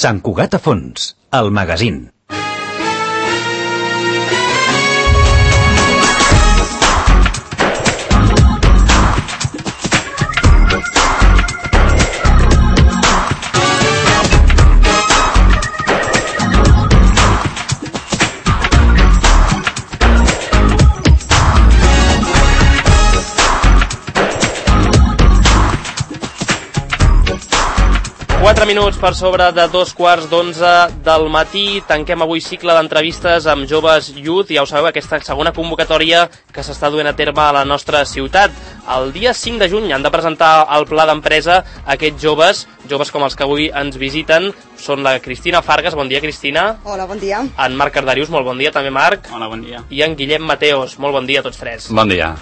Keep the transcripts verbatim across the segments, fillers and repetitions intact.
Sant Cugat a fons, el magazín. quatre minuts per sobre de dos quarts d'onze del matí. Tanquem avui cicle d'entrevistes amb joves youth. Ja ho sabeu, aquesta segona convocatòria que s'està duent a terme a la nostra ciutat. El dia cinc de juny han de presentar el pla d'empresa aquests joves, joves com els que avui ens visiten. Són la Cristina Fargas, bon dia Cristina. Hola, bon dia. En Marc Cardarius, molt bon dia, també Marc. Hola, bon dia. I en Guillem Mateos, molt bon dia a tots tres. Bon dia.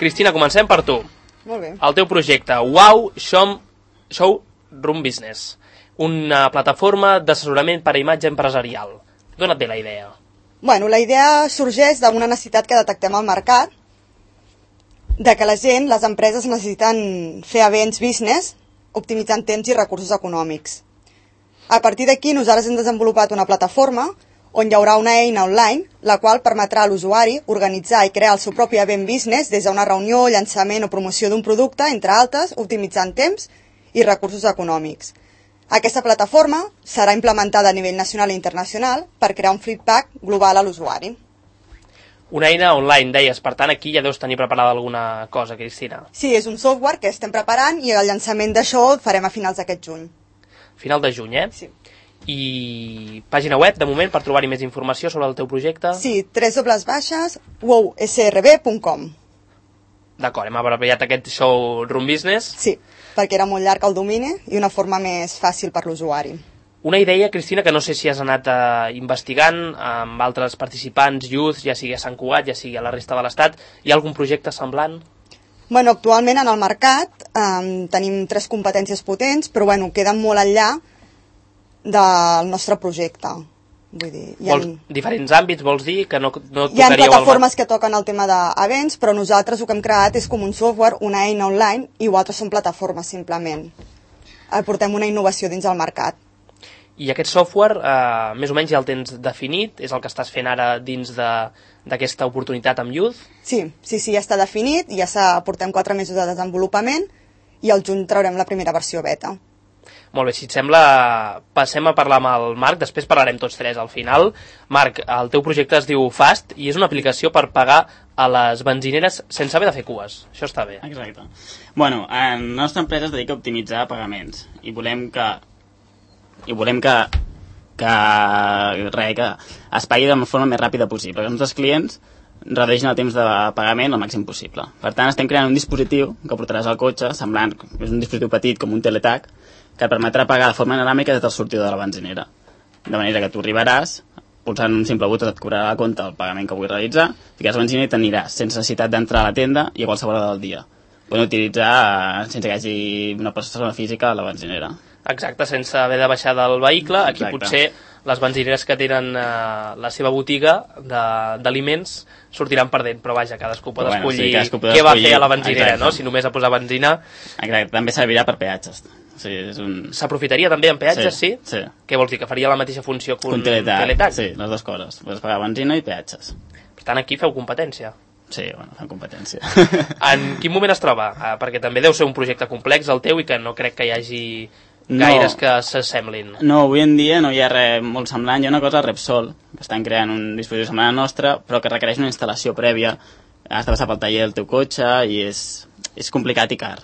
Cristina, comencem per tu. Molt bé. El teu projecte, Wow Show, Show Room Business, una plataforma d'assessorament per a imatge empresarial. Dóna't bé la idea. Bueno, la idea sorgeix d'una necessitat que detectem al mercat, de que la gent, les empreses necessiten fer events business optimitzant temps i recursos econòmics. A partir d'aquí nosaltres hem desenvolupat una plataforma on hi haurà una eina online, la qual permetrà a l'usuari organitzar i crear el seu propi event business des d'una reunió, llançament o promoció d'un producte, entre altres, optimitzant temps i recursos econòmics. Aquesta plataforma serà implementada a nivell nacional i internacional per crear un feedback global a l'usuari. Una eina online, deies, per tant aquí ja deus tenir preparada alguna cosa, Cristina. Sí, és un software que estem preparant i el llançament d'això el farem a finals d'aquest juny. Final de juny, eh? Sí. I pàgina web, de moment, per trobar-hi més informació sobre el teu projecte? Sí, w baixes wow s r b punt com. D'acord, hem abreviat aquest Show Room Business. Sí, perquè era molt llarg el domini i una forma més fàcil per l'usuari. Una idea, Cristina, que no sé si has anat eh, investigant amb altres participants, youth, ja sigui a Sant Cugat, ja sigui a la resta de l'Estat. Hi ha algun projecte semblant? Bueno, actualment en el mercat eh, tenim tres competències potents, però bueno, queden molt enllà del nostre projecte. Vull dir, hi ha... Vols, diferents àmbits, vols dir? Que no, no hi ha tocaríeu plataformes el... que toquen el tema d'events, però nosaltres el que hem creat és com un software, una eina online, i altres són plataformes, simplement. Portem una innovació dins el mercat. I aquest software, eh, més o menys ja el tens definit? És el que estàs fent ara dins d'aquesta oportunitat amb Youth? Sí, sí, sí, ja està definit, ja s'ha portem quatre mesos de desenvolupament i al juny traurem la primera versió beta. Molt bé, si et sembla, passem a parlar amb el Marc, després parlarem tots tres al final. Marc, el teu projecte es diu Fast i és una aplicació per pagar a les benzineres sense haver de fer cues. Això està bé. Exacte. Bueno, la nostra empresa es dedica a optimitzar pagaments i volem que i volem que que, re, que es pagui de la forma més ràpida possible, que els nostres clients redueixin el temps de pagament al màxim possible. Per tant, estem creant un dispositiu que portaràs al cotxe, semblant, és un dispositiu petit com un teletac, que et permetrà pagar de forma dinàmica des del sortidor de la benzinera. De manera que tu arribaràs, pulsant un simple botó et cobrarà la compte el pagament que vull realitzar, ficaràs la benzina i t'aniràs sense necessitat d'entrar a la tenda i a qualsevol hora del dia. Podem utilitzar sense que hi hagi una persona física a la benzinera. Exacte, sense haver de baixar del vehicle. Aquí Exacte. Potser les benzineres que tenen eh, la seva botiga d'aliments sortiran perdent, però vaja, cadascú pot Però bueno, escollir sí, cadascú pot què va escollir, fer a la benzinera, exacte. no? Si només a posar benzina. Exacte, també servirà per peatges. O sigui, és un... S'aprofitaria també en peatges, sí? Sí. Què vols dir, que faria la mateixa funció que un, Un teletac, teletac? sí, les dues coses. Pots pagar benzina i peatges. Per tant, aquí feu competència. Sí, bueno, fan competència. En quin moment es troba? Ah, perquè també deu ser un projecte complex el teu i que no crec que hi hagi gaires no, que s'assemblin. No, avui en dia no hi ha res molt semblant. Hi ha una cosa, Repsol, que estan creant un dispositiu semblant al nostre, però que requereix una instal·lació prèvia. Has de passar pel taller del teu cotxe i és, és complicat i car.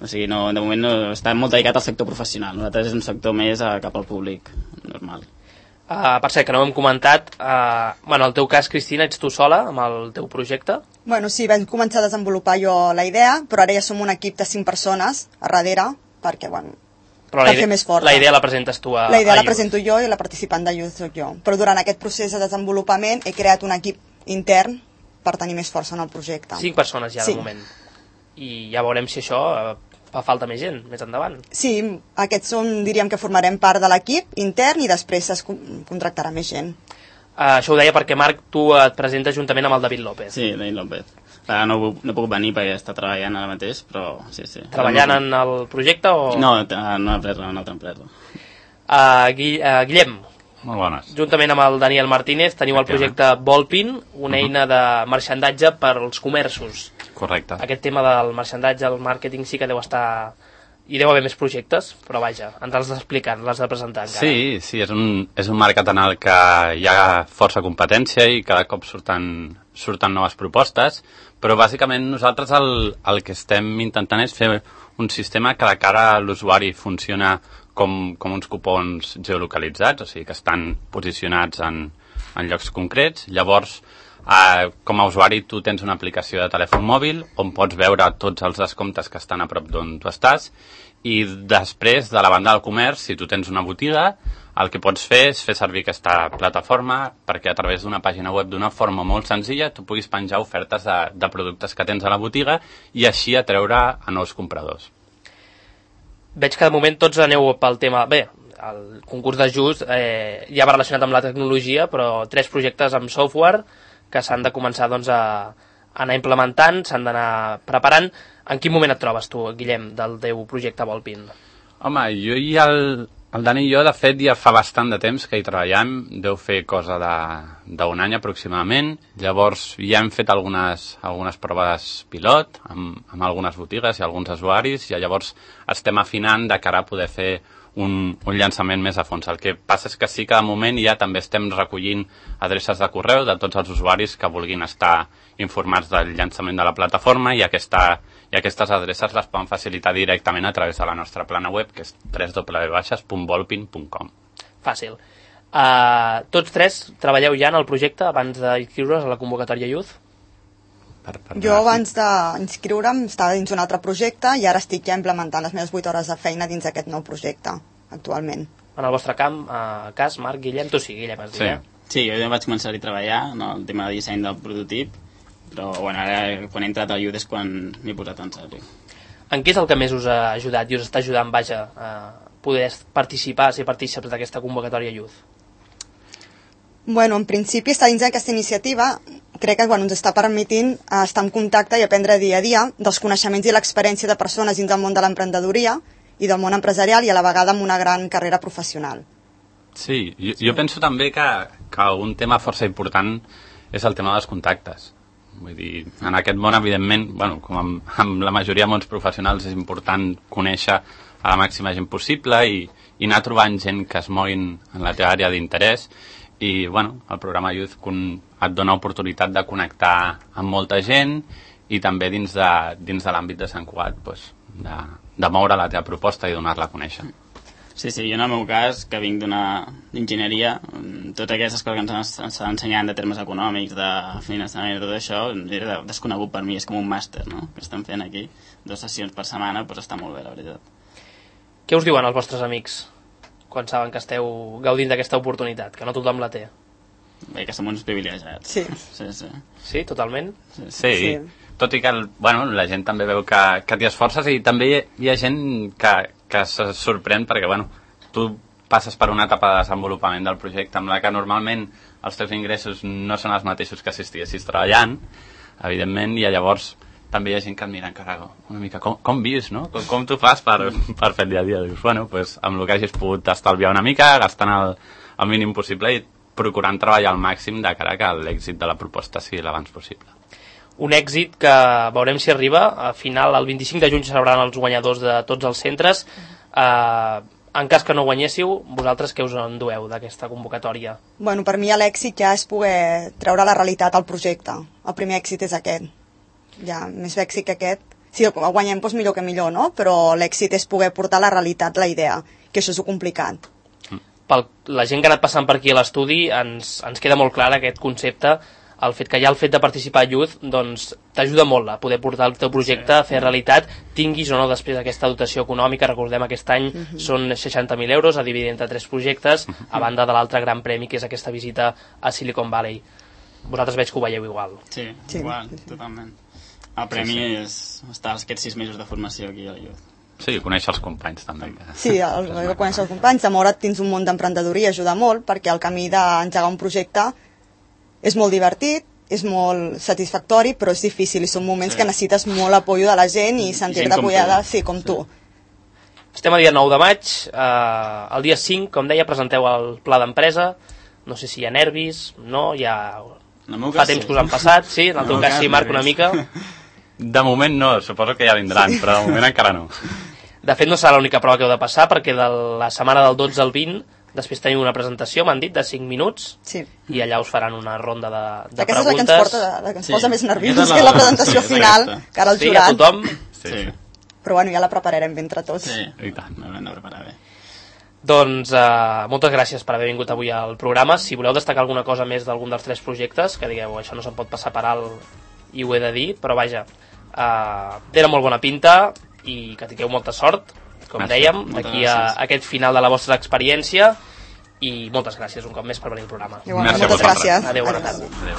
O sigui, no, de moment no, està molt dedicat al sector professional. Nosaltres és un sector més a, cap al públic normal. Uh, per cert, que no ho hem comentat, uh, bueno, el teu cas, Cristina, ets tu sola amb el teu projecte? Bueno, sí, vam començar a desenvolupar jo la idea, però ara ja som un equip de cinc persones a darrere, perquè, bueno, però per la fer més forta. La idea la presentes tu a La idea a la Youth. presento jo i la participant de Youth soc jo. Però durant aquest procés de desenvolupament he creat un equip intern per tenir més força en el projecte. Cinc persones ja, sí. de moment. I ja veurem si això uh, fa falta més gent, més endavant. Sí, aquests són, diríem que formarem part de l'equip intern i després es contractarà més gent. Uh, això ho deia perquè, Marc, tu et presentes juntament amb el David López. Sí, David López. Ara no, no puc venir perquè està treballant ara mateix, però sí, sí. Treballant en el projecte o...? No, en una empresa, en una altra empresa. Uh, Gui uh, Guillem, molt bones. Juntament amb el Daniel Martínez teniu el projecte Volpin, una eina de marxandatge per als comerços. Correcte. Aquest tema del marxandatge, el màrqueting sí que deu estar... Hi deu haver més projectes, però vaja, ens l'has d'explicar, l'has de presentar encara. Sí, sí, és un, és un mercat en el que hi ha força competència i cada cop surten, surten noves propostes, però bàsicament nosaltres el, el que estem intentant és fer un sistema que de cara a l'usuari funciona com, com uns cupons geolocalitzats, o sigui que estan posicionats en, en llocs concrets. Llavors, eh, com a usuari tu tens una aplicació de telèfon mòbil on pots veure tots els descomptes que estan a prop d'on tu estàs, i després, de la banda del comerç, si tu tens una botiga, el que pots fer és fer servir aquesta plataforma perquè a través d'una pàgina web d'una forma molt senzilla tu puguis penjar ofertes de, de productes que tens a la botiga i així atreure a nous compradors. Veig que de moment tots aneu pel tema... Bé, el concurs d'ajust eh, ja va relacionat amb la tecnologia, però tres projectes amb software que s'han de començar doncs, a anar implementant, s'han d'anar preparant. En quin moment et trobes tu, Guillem, del teu projecte Volpin? Home, jo i el, el Dani i jo, de fet, ja fa bastant de temps que hi treballem, deu fer cosa d'un any aproximadament. Llavors ja hem fet algunes, algunes proves pilot amb, amb algunes botigues i alguns usuaris, i llavors estem afinant de cara a poder fer un, un llançament més a fons. El que passa és que sí que de moment ja també estem recollint adreces de correu de tots els usuaris que vulguin estar informats del llançament de la plataforma, i, aquesta, i aquestes adreces les poden facilitar directament a través de la nostra plana web, que és w w w punt volpin punt com. Fàcil. Uh, tots tres treballeu ja en el projecte abans d'inscriure's a la convocatòria Youth? Per, per jo abans d'inscriure'm estava dins un altre projecte i ara estic ja implementant les meves vuit hores de feina dins aquest nou projecte, actualment. En el vostre camp, uh, cas, Marc, Guillem, tu sí, Guillem, has dit, sí. eh? Sí, jo ja vaig començar-hi a treballar en no, el tema de disseny del prototip, però bueno, ara quan he entrat al Youth és quan m'he posat en sèrio. En què és el que més us ha ajudat i us està ajudant, vaja, a poder participar, ser partícips d'aquesta convocatòria Youth? Bueno, en principi estar dins d'aquesta iniciativa crec que bueno, ens està permetint estar en contacte i aprendre dia a dia dels coneixements i l'experiència de persones dins del món de l'emprenedoria i del món empresarial, i a la vegada amb una gran carrera professional. Sí, jo, jo penso també que, que un tema força important és el tema dels contactes. Vull dir, en aquest món, evidentment, bueno, com amb, amb la majoria de mons professionals, és important conèixer a la màxima gent possible i, i anar trobant gent que es moguin en la teva àrea d'interès. I bueno, el programa Youth et dona oportunitat de connectar amb molta gent i també dins de, dins de l'àmbit de Sant Cugat pues, de, de moure la teva proposta i donar-la a conèixer. Sí, sí, jo en el meu cas, que vinc d'una enginyeria, totes aquestes coses que ens estan ensenyant de termes econòmics, de finançament i tot això, era desconegut per mi, és com un màster, no?, que estem fent aquí, dues sessions per setmana, doncs està molt bé, la veritat. Què us diuen els vostres amics quan saben que esteu gaudint d'aquesta oportunitat, que no tothom la té? Bé, que som uns privilegiats. Sí. Sí, sí. Sí, totalment? Sí, sí. sí. Tot i que el, bueno, la gent també veu que, que t'hi esforces, i també hi ha gent que, que se sorprèn perquè bueno, tu passes per una etapa de desenvolupament del projecte amb la que normalment els teus ingressos no són els mateixos que si estiguessis treballant, evidentment, i llavors també hi ha gent que et mira encara una mica com, com vius, no? Com, com tu fas per, per fer el dia a dia? Dius, bueno, pues, amb el que hagis pogut estalviar una mica, gastant el, el mínim possible i procurant treballar al màxim de cara que l'èxit de la proposta sigui l'abans possible. Un èxit que veurem si arriba. A final, el vint-i-cinc de juny se celebraran els guanyadors de tots els centres. Eh, en cas que no guanyéssiu, vosaltres què us endueu d'aquesta convocatòria? Bueno, per mi l'èxit ja és poder treure la realitat al projecte. El primer èxit és aquest. Ja, més èxit que aquest. Si el guanyem, doncs millor que millor, no? Però l'èxit és poder portar a la realitat la idea, que això és complicat. Per la gent que ha anat passant per aquí a l'estudi, ens, ens queda molt clar aquest concepte. El fet que ja el fet de participar a Youth doncs, t'ajuda molt a poder portar el teu projecte a fer realitat, tinguis o no després aquesta dotació econòmica. Recordem, aquest any uh -huh. són seixanta mil euros a dividir entre tres projectes, a banda de l'altre gran premi, que és aquesta visita a Silicon Valley. Vosaltres veig que ho veieu igual. Sí, sí. igual, totalment. El premi sí, sí. és estar aquests sis mesos de formació aquí a la Youth. Sí, conèixer els companys també. Sí, el, el conèixer els companys, de moure't dins un món d'emprenedoria ajuda molt, perquè el camí d'engegar un projecte és molt divertit, és molt satisfactori, però és difícil i són moments sí. que necessites molt apoyo de la gent i sentir-te apoyada, sí, com tu. Estem a dia nou de maig, eh, el dia cinc, com deia, presenteu el pla d'empresa, no sé si hi ha nervis, no, hi ha... Fa temps sí. que us han passat, sí, en el teu cas sí, Marc, una mica. De moment no, suposo que ja vindran, sí. Però de moment encara no. De fet, no serà l'única prova que heu de passar, perquè de la setmana del dotze al vint, després tenim una presentació, m'han dit, de cinc minuts, sí. I allà us faran una ronda de, de Aquesta preguntes. Aquesta és la que ens, porta, la que ens sí. posa més nerviosos, la... que la presentació sí, final, que ara el sí, jurat. Sí, a tothom. Sí, sí. Però bueno, ja la prepararem bé entre tots. Sí, i tant, l'hem de preparar bé. Doncs uh, moltes gràcies per haver vingut avui al programa. Si voleu destacar alguna cosa més d'algun dels tres projectes, que digueu, això no se'n pot passar per alt i ho he de dir, però vaja, uh, era molt bona pinta i que tingueu molta sort, com gràcies. Dèiem, aquí a, a aquest final de la vostra experiència, i moltes gràcies un cop més per venir al programa. Igualment, moltes gràcies. Adéu, bona tarda. Adéu.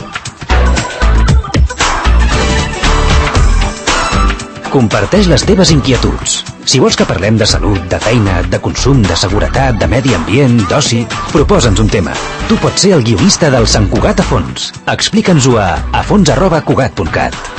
Comparteix les teves inquietuds. Si vols que parlem de salut, de feina, de consum, de seguretat, de medi ambient, d'oci, proposa'ns un tema. Tu pots ser el guionista del Sant Cugat a fons. Explica'ns-ho a afons arroba cugat punt cat.